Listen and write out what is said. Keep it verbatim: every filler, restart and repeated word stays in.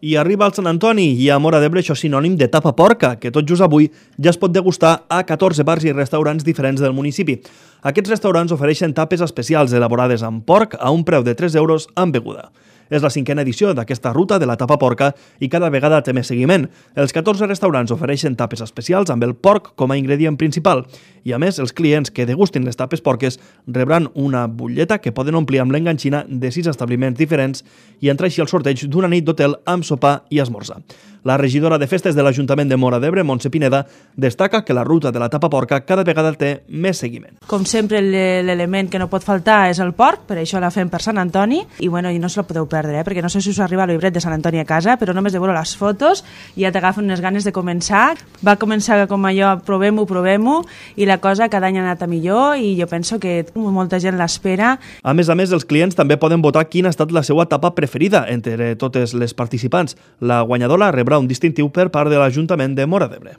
I arriba el Sant Antoni i a Móra d'Ebre això és sinònim de tapa porca, que tot just avui ja es pot degustar a catorze bars i restaurants diferents del municipi. Aquests restaurants ofereixen tapes especials elaborades amb porc a un preu de tres euros amb beguda. És la cinquena edició d'aquesta ruta de la tapa porca i cada vegada té més seguiment. Els catorze restaurants ofereixen tapes especials amb el porc com a ingredient principal i, a més, els clients que degustin les tapes porques rebran una butlleta que poden omplir amb l'enganxina de sis establiments diferents i entrar així al sorteig d'una nit d'hotel amb sopar i esmorzar. La regidora de festes de l'Ajuntament de Móra d'Ebre, Montse Pineda, destaca que la ruta de la tapa porca cada vegada té més seguiment. Com sempre, l'element que no pot faltar és el porc, per això la fem per Sant Antoni, i, bueno, i no se la podeu perdre, eh? Perquè no sé si us arriba el llibret de Sant Antoni a casa, però només de veure les fotos ja t'agafen unes ganes de començar. Va començar com allò, provem-ho, provem-ho, i la cosa cada any ha anat a millor, i jo penso que molta gent l'espera. A més a més, els clients també poden votar quina ha estat la seva tapa preferida entre totes les participants. La guanyadora rebrà un distintiu per part de l'Ajuntament de Móra d'Ebre.